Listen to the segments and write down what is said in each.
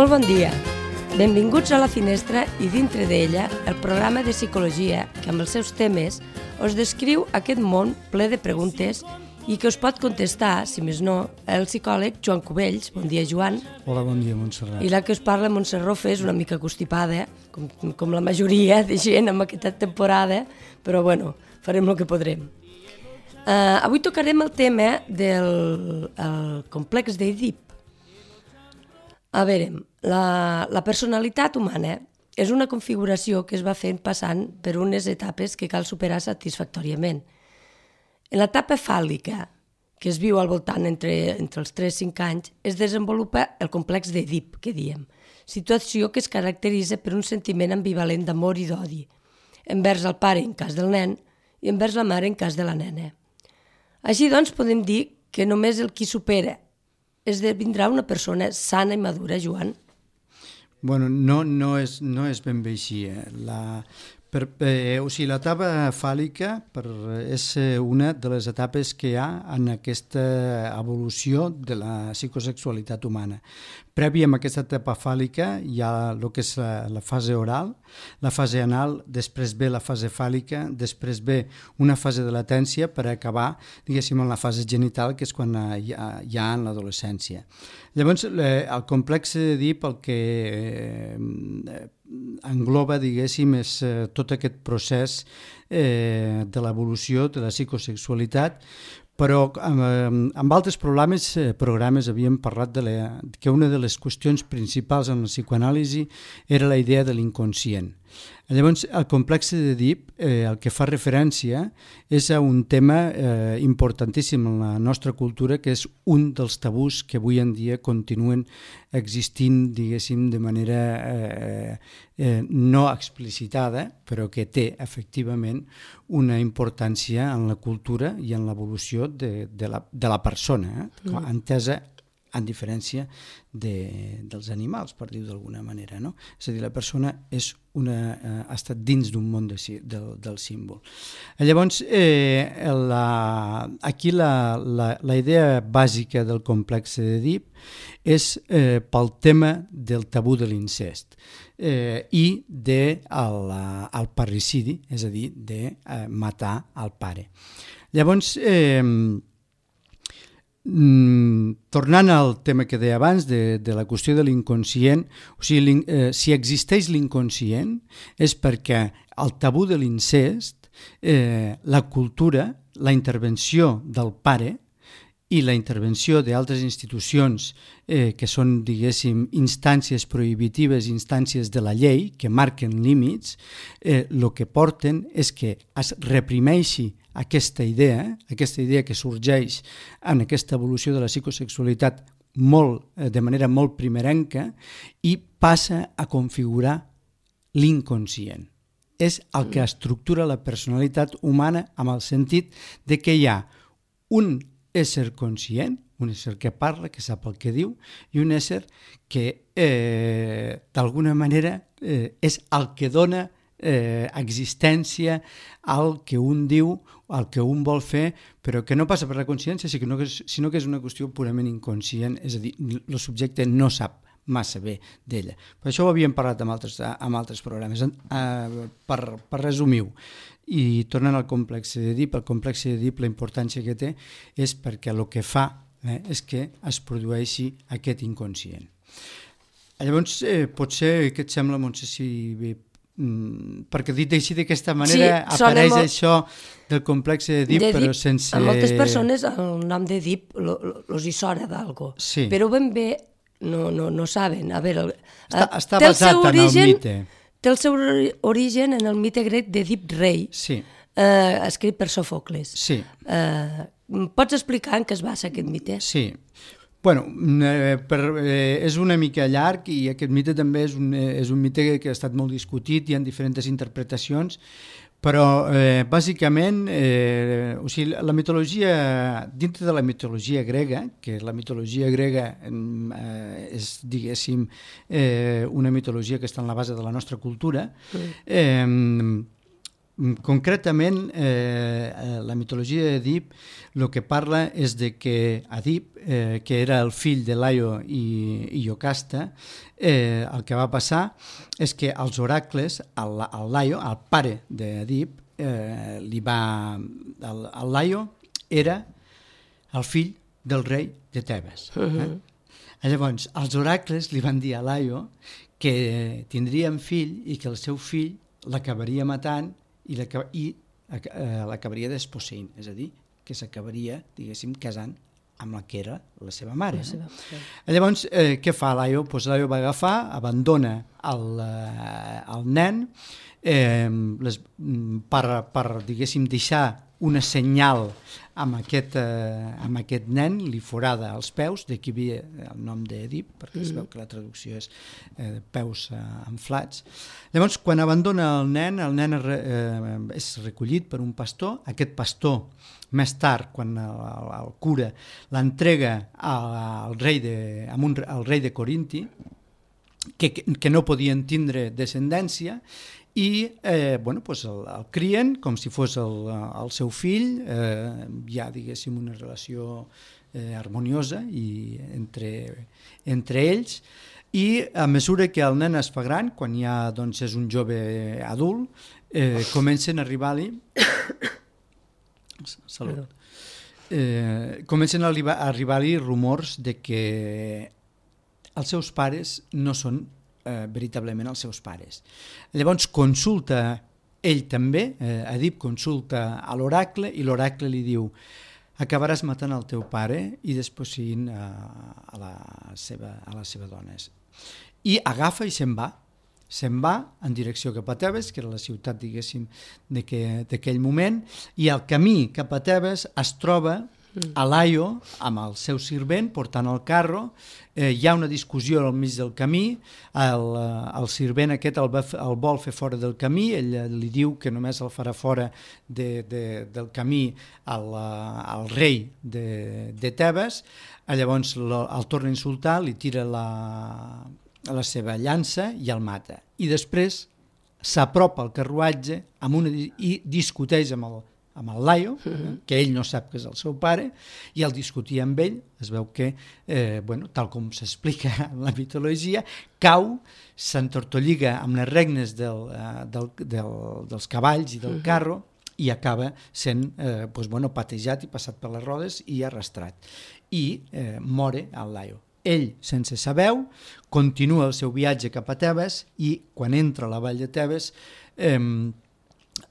Molt bon dia. Benvinguts a La Finestra i dintre d'ella el programa de psicologia que amb els seus temes us descriu aquest món ple de preguntes i que us pot contestar, si més no, el psicòleg Joan Cubells. Bon dia, Joan. Hola, bon dia, Montserrat. I la que us parla, Montserrat Rofe, és una mica constipada, com la majoria de gent en aquesta temporada, però bueno, farem el que podrem. Avui tocarem el tema del complex d'Èdip. A veure, la personalitat humana és una configuració que es va fent passant per unes etapes que cal superar satisfactòriament. En l'etapa fàl·lica, que es viu al voltant entre els 3 i 5 anys, es desenvolupa el complex d'Èdip, que diem, situació que es caracteritza per un sentiment ambivalent d'amor i d'odi, envers el pare en cas del nen i envers la mare en cas de la nena. Així doncs podem dir que només el qui supera esdevindrà una persona sana i madura, Joan? Bueno, no és ben bé així. L'etapa fàl·lica és una de les etapes que hi ha en aquesta evolució de la psicosexualitat humana. Prèvia a aquesta etapa fàl·lica hi ha el que és la fase oral, la fase anal, després ve la fase fàl·lica, després ve una fase de latència per acabar, diguéssim, en la fase genital, que és quan hi ha en l'adolescència. Llavors, el complex d'Èdip el que engloba, diguéssim, és tot aquest procés de l'evolució de la psicosexualitat, però amb altres programes havíem parlat que una de les qüestions principals en la psicoanàlisi era la idea de l'inconscient. Llavors, el complex d'Èdip el que fa referència és a un tema importantíssim en la nostra cultura, que és un dels tabús que avui en dia continuen existint, diguéssim, de manera no explicitada, però que té efectivament una importància en la cultura i en l'evolució de la persona, entesa en diferència dels animals, per dir-ho d'alguna manera, no? És a dir, la persona ha estat dins d'un món del símbol. Llavors, aquí la idea bàsica del complex d'Èdip és pel tema del tabú de l'incest i del parricidi, és a dir, de matar el pare. Llavors, tornant al tema que deia abans de la qüestió de l'inconscient, o sigui, si existeix l'inconscient és perquè el tabú de l'incest, la cultura, la intervenció del pare i la intervenció d'altres institucions que són, diguéssim, instàncies prohibitives, instàncies de la llei que marquen límits, el que porten és que es reprimeixi aquesta idea que sorgeix en aquesta evolució de la psicosexualitat de manera molt primerenca i passa a configurar l'inconscient. És el que estructura la personalitat humana amb el sentit de que hi ha un ésser conscient, un ésser que parla, que sap el que diu, i un ésser que d'alguna manera és el que dona existència al que un diu, al que un vol fer, però que no passa per la consciència, sinó que és una qüestió purament inconscient, és a dir, el subjecte no sap massa bé d'ella. Per això ho havíem parlat amb altres programes. Per resumir-ho, i tornant al complex d'Èdip, la importància que té és perquè el que fa és que es produeixi aquest inconscient. Llavors, potser, què et sembla, Montse, si perquè dit així d'aquesta manera apareix això del complex d'Èdip, però sense... A moltes persones el nom d'Èdip els hi sona d'algo, però ben bé no saben. A veure, està basat en el mite. Té el seu origen en el mite grec d'Èdip rei, escrit per Sòfocles. Pots explicar en què es basa aquest mite? Sí. Bueno, és una mica llarg i aquest mite també és un mite que ha estat molt discutit, hi ha diferents interpretacions, però bàsicament la mitologia, dintre de la mitologia grega, que la mitologia grega és, diguéssim, una mitologia que està en la base de la nostra cultura, Concretament, la mitologia d'Èdip el que parla és de que Èdip, que era el fill de Laio i Iocasta, el que va passar és que els oracles, el Laio, el pare d'Èdip, el Laio era el fill del rei de Tebes. Llavors, els oracles li van dir a Laio que tindrien fill i que el seu fill l'acabaria matant i l'acabaria desposseint, és a dir, que s'acabaria, diguéssim, casant amb la que era la seva mare. No? Llavors, què fa Laio? Pues Laio va agafar, abandona el nen per, diguéssim, deixar una senyal amb aquest nen, li forada els peus, d'aquí ve el nom d'Èdip, perquè es veu que la traducció és peus inflats. Llavors, quan abandona el nen és recollit per un pastor. Aquest pastor, més tard, quan el cura, l'entrega al rei de Corinti, que no podien tindre descendència, i el crien com si fos el seu fill, hi ha, diguéssim, una relació harmoniosa entre ells, i a mesura que el nen es fa gran, quan ja és un jove adult, comencen a arribar-li rumors de que els seus pares no són veritablement els seus pares. Llavors consulta ell també, Èdip consulta a l'oracle i l'oracle li diu: acabaràs matant el teu pare i desposseint a la seva dona. I agafa i se'n va en direcció cap a Tebes, que era la ciutat, diguéssim, d'aquell moment, i al camí cap a Tebes es troba a Laio amb el seu servent portant el carro. Hi ha una discussió al mig del camí, el servent aquest el vol fer fora del camí, ell li diu que només el farà fora del camí al rei de Tebes. Llavors el torna a insultar, li tira la seva llança i el mata, i després s'apropa al carruatge i discuteix amb el Laio, que ell no sap que és el seu pare, i al discutir amb ell es veu que, tal com s'explica en la mitologia, cau, s'entortolliga amb les regnes dels cavalls i del carro i acaba sent patejat i passat per les rodes i arrastrat. I mora el Laio. Ell, sense saber-ho, continua el seu viatge cap a Tebes i quan entra a la vall de Tebes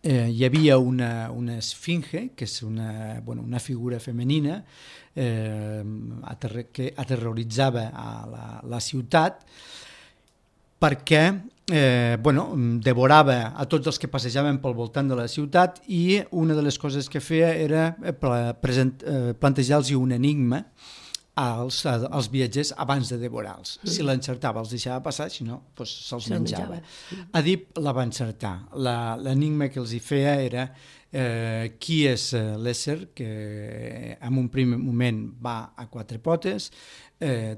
hi havia una esfinge, que és una figura femenina que aterroritzava a la ciutat perquè devorava a tots els que passejaven pel voltant de la ciutat, i una de les coses que feia era plantejar-los un enigma als viatgers abans de devorar-los. Si l'encertava els deixava passar, si no, se'ls menjava. Èdip la va encertar. L'enigma que els hi feia era qui és l'ésser que en un primer moment va a 4 potes,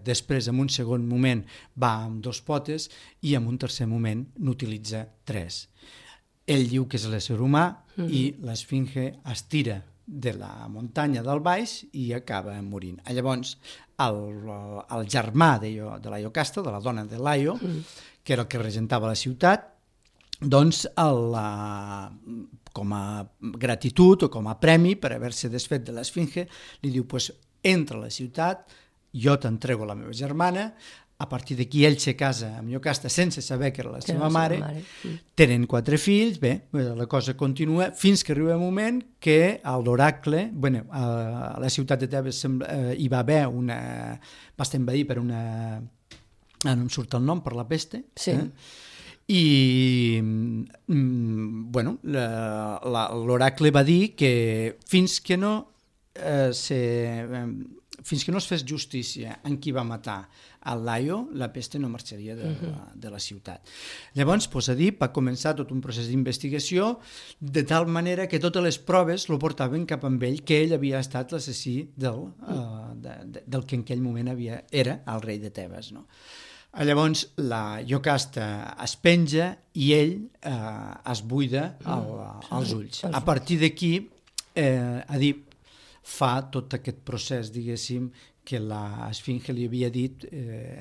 després en un segon moment va amb 2 potes i en un tercer moment n'utilitza 3. Ell diu que és l'ésser humà i l'esfinge es tira de la muntanya del baix i acaba morint. Llavors, el germà de la Iocasta, de la dona de Laio, que era el que regentava la ciutat, doncs, com a gratitud o com a premi per haver-se desfet de l'esfinge, li diu: entra a la ciutat, jo t'entrego la meva germana. A partir d'aquí ell se casa amb Iocasta sense saber que era la seva mare. Tenen 4 fills, la cosa continua fins que arriba un moment que l'oracle, a la ciutat de Tebes hi va haver va estar envaït per una... no em surt el nom, per la peste. Sí. I l'oracle va dir que fins que no es fes justícia en qui va matar el Laio, la peste no marxaria de la ciutat. Llavors, Èdip va començar tot un procés d'investigació, de tal manera que totes les proves lo portaven cap amb ell, que ell havia estat l'assassí del que en aquell moment era el rei de Tebes. No? Llavors la Iocasta es penja i ell es buida els ulls. A partir d'aquí, Èdip fa tot aquest procés, diguéssim, que l'Esfinge li havia dit,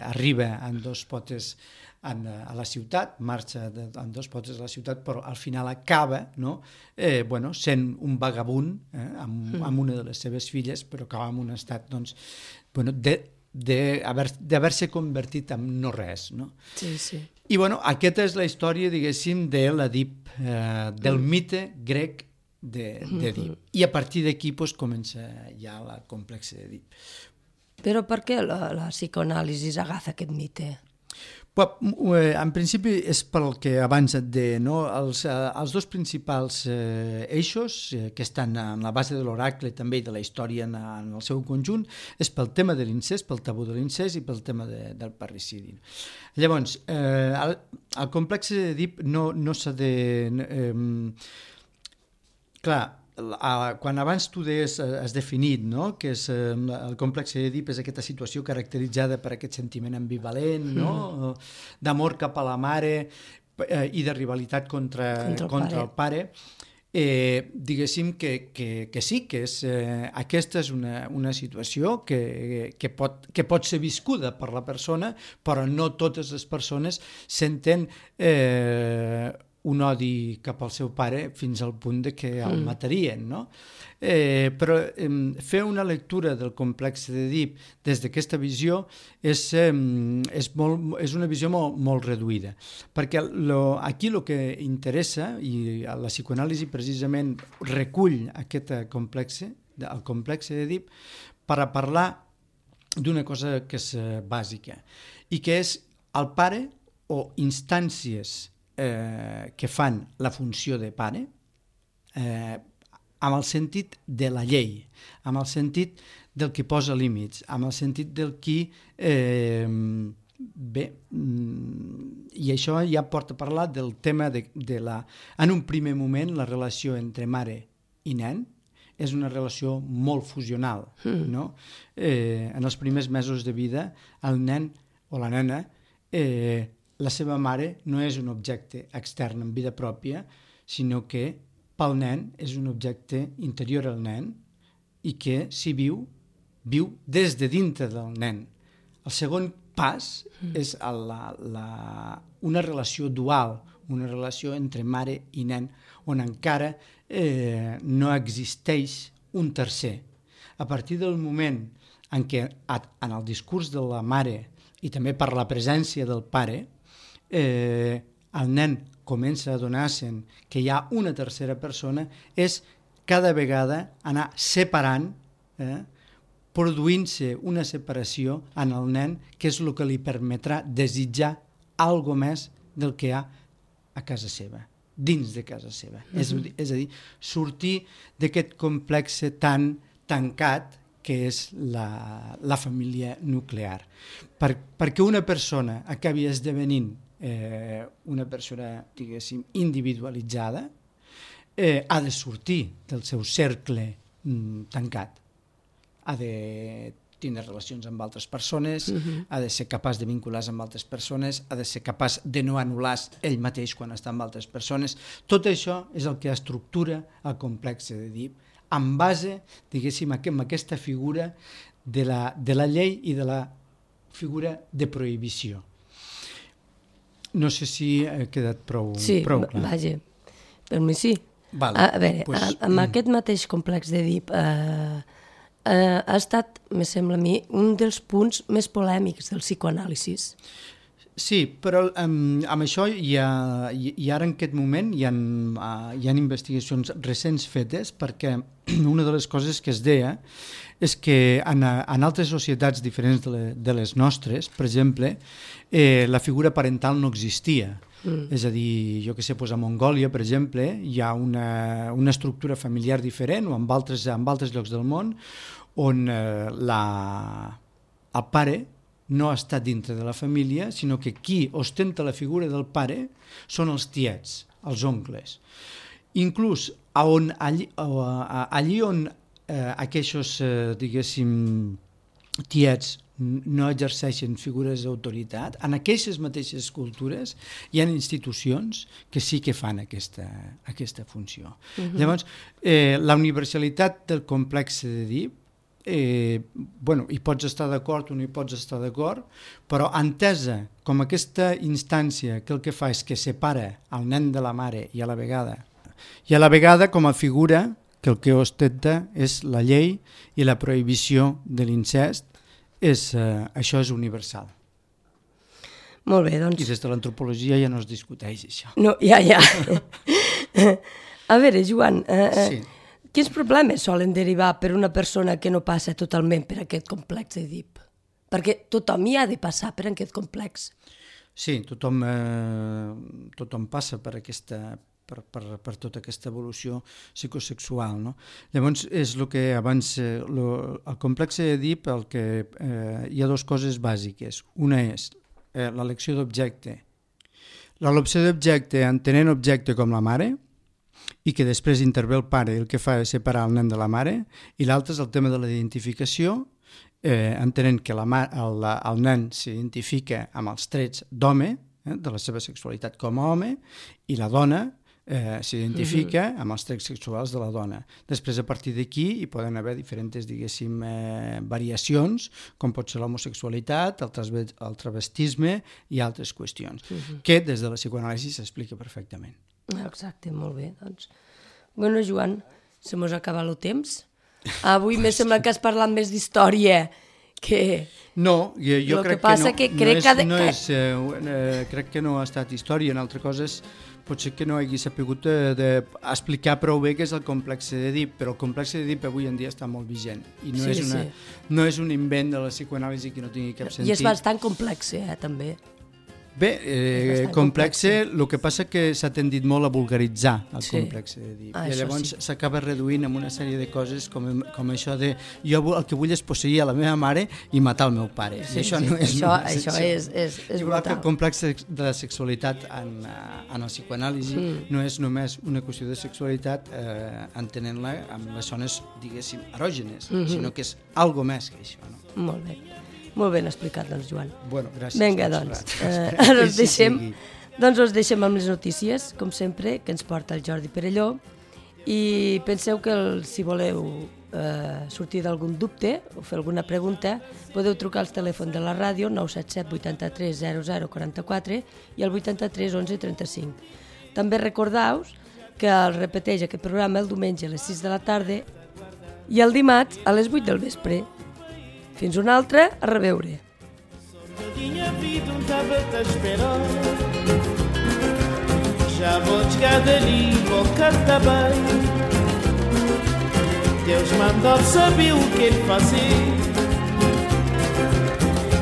arriba en dos potes a la ciutat, marxa en dos potes a la ciutat, però al final acaba sent un vagabund amb una de les seves filles, però acaba en un estat d'haver-se convertit en no res. No? Sí, sí. I aquesta és la història, diguéssim, de l'Èdip, del mite grec d'Èdip. I a partir d'aquí comença ja la complexa d'Èdip. Però per què la psicoanàlisi agafa aquest mite? En principi és pel que abans et deia, no? Els dos principals eixos que estan en la base de l'oracle també i de la història en el seu conjunt és pel tema de l'incest, pel tabú de l'incest i pel tema del parricidi. Llavors, el complex d'Èdip no s'ha de... Clar, quan abans tu has definit, no? Que és el complex d'Èdip és aquesta situació caracteritzada per aquest sentiment ambivalent, no? D'amor cap a la mare i de rivalitat contra el pare. Diguéssim que sí, que aquesta és una situació que pot ser viscuda per la persona, però no totes les persones senten un odi cap al seu pare fins al punt de que el matarien, no? Però fer una lectura del complex d'Èdip des d'aquesta visió és una visió molt reduïda, perquè aquí el que interessa, i la psicoanàlisi precisament recull aquest complex, el complex d'Èdip, per a parlar d'una cosa que és bàsica, i que és el pare o instàncies que fan la funció de pare amb el sentit de la llei, amb el sentit del qui posa límits, amb el sentit del qui i això ja porta a parlar del tema en un primer moment la relació entre mare i nen és una relació molt fusional, no? En els primers mesos de vida el nen o la nena la seva mare no és un objecte extern en vida pròpia, sinó que pel nen és un objecte interior al nen i que si viu des de dintre del nen. El segon pas és una relació dual, una relació entre mare i nen, on encara no existeix un tercer. A partir del moment en què en el discurs de la mare i també per la presència del pare, el nen comença a adonar-se'n que hi ha una tercera persona, és cada vegada anar separant, produint-se una separació en el nen, que és el que li permetrà desitjar algo més del que hi ha a casa seva, dins de casa seva. És a dir, sortir d'aquest complex tan tancat que és la família nuclear. Perquè una persona acabi esdevenint una persona, diguéssim, individualitzada, ha de sortir del seu cercle tancat. Ha de tindre relacions amb altres persones, ha de ser capaç de vincular-se amb altres persones, ha de ser capaç de no anul·lar-se ell mateix quan està amb altres persones. Tot això és el que estructura el complex d'Èdip, en base, diguéssim, en aquesta figura de la llei i de la figura de prohibició. No sé si ha quedat prou clar. Sí, vaja, per mi sí. A veure, amb aquest mateix complex d'Èdip ha estat, me sembla a mi, un dels punts més polèmics del psicoanàlisi. Sí, però amb això i ara en aquest moment hi ha investigacions recents fetes, perquè una de les coses que es deia és que en altres societats diferents de les nostres, per exemple, la figura parental no existia. És a dir, jo que sé, a Mongòlia, per exemple, hi ha una estructura familiar diferent, o en altres llocs del món, on el pare no està dintre de la família, sinó que qui ostenta la figura del pare són els tiets, els oncles. Inclús allí on aquests, diguéssim, tiets no exerceixen figures d'autoritat, en aquestes mateixes cultures hi ha institucions que sí que fan aquesta funció. Llavors, la universalitat del complex d'Èdip, hi pots estar d'acord o no hi pots estar d'acord, però entesa com aquesta instància que el que fa és que separa el nen de la mare i a la vegada com a figura que el que ostenta és la llei i la prohibició de l'incest, això és universal. Molt bé, doncs... I des de l'antropologia ja no es discuteix això. No, ja. A veure, Joan, quins problemes solen derivar per una persona que no passa totalment per aquest complex d'Èdip? Perquè tothom hi ha de passar per aquest complex. Sí, tothom passa per tota aquesta evolució psicosexual, no? Llavors, és el que abans... El complex d'Èdip, hi ha dues coses bàsiques. Una és l'elecció d'objecte. L'elecció d'objecte entenent objecte com la mare, i que després intervé el pare i el que fa és separar el nen de la mare, i l'altre és el tema de la identificació, entenent que el nen s'identifica amb els trets d'home, de la seva sexualitat com a home, i la dona s'identifica amb els trets sexuals de la dona. Després, a partir d'aquí, hi poden haver diferents, diguéssim, variacions, com pot ser l'homosexualitat, el travestisme i altres qüestions, que des de la psicoanàlisi s'explica perfectament. Exacte, molt bé, doncs. Bueno, Joan, se mos acaba el temps. Avui me sembla que has parlat més d'història que... No, jo crec que no ha estat història. En altres coses potser que no hagi sapigut explicar prou bé què és el complex d'Èdip, però el complex d'Èdip avui en dia està molt vigent i no és un invent de la psicoanàlisi que no tingui cap sentit. I és bastant complex, també. Bé, complex, el que passa que s'ha tendit molt a vulgaritzar el complex d'Èdip. I llavors s'acaba reduint en una sèrie de coses com això de jo el que vull és posseir a la meva mare i matar el meu pare. Això és igual que el complex de la sexualitat en el psicoanàlisi no és només una qüestió de sexualitat entenent-la amb les zones, diguéssim, erògenes, sinó que és algo més que això. Molt bé. Molt ben explicat, doncs, Joan. Bueno, gràcies. Vinga, doncs. Ara us deixem amb les notícies, com sempre, que ens porta el Jordi Perelló. I penseu que si voleu sortir d'algun dubte o fer alguna pregunta, podeu trucar al telèfon de la ràdio 977 83 00 44 i el 83 11 35. També recordeu que el repeteix aquest programa el diumenge a les 6 de la tarda i el dimarts a les 8 del vespre. Fins una altra, a reveure. Eu tinha vida, estava-te a esperar. Já vou chegar dali, vou cantar bem. Deus mandou saber o que ele fazer.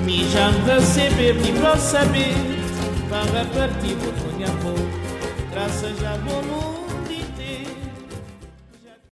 Me já me receber, nem para saber. Para partir, vou ponhar amor. Graças a amor.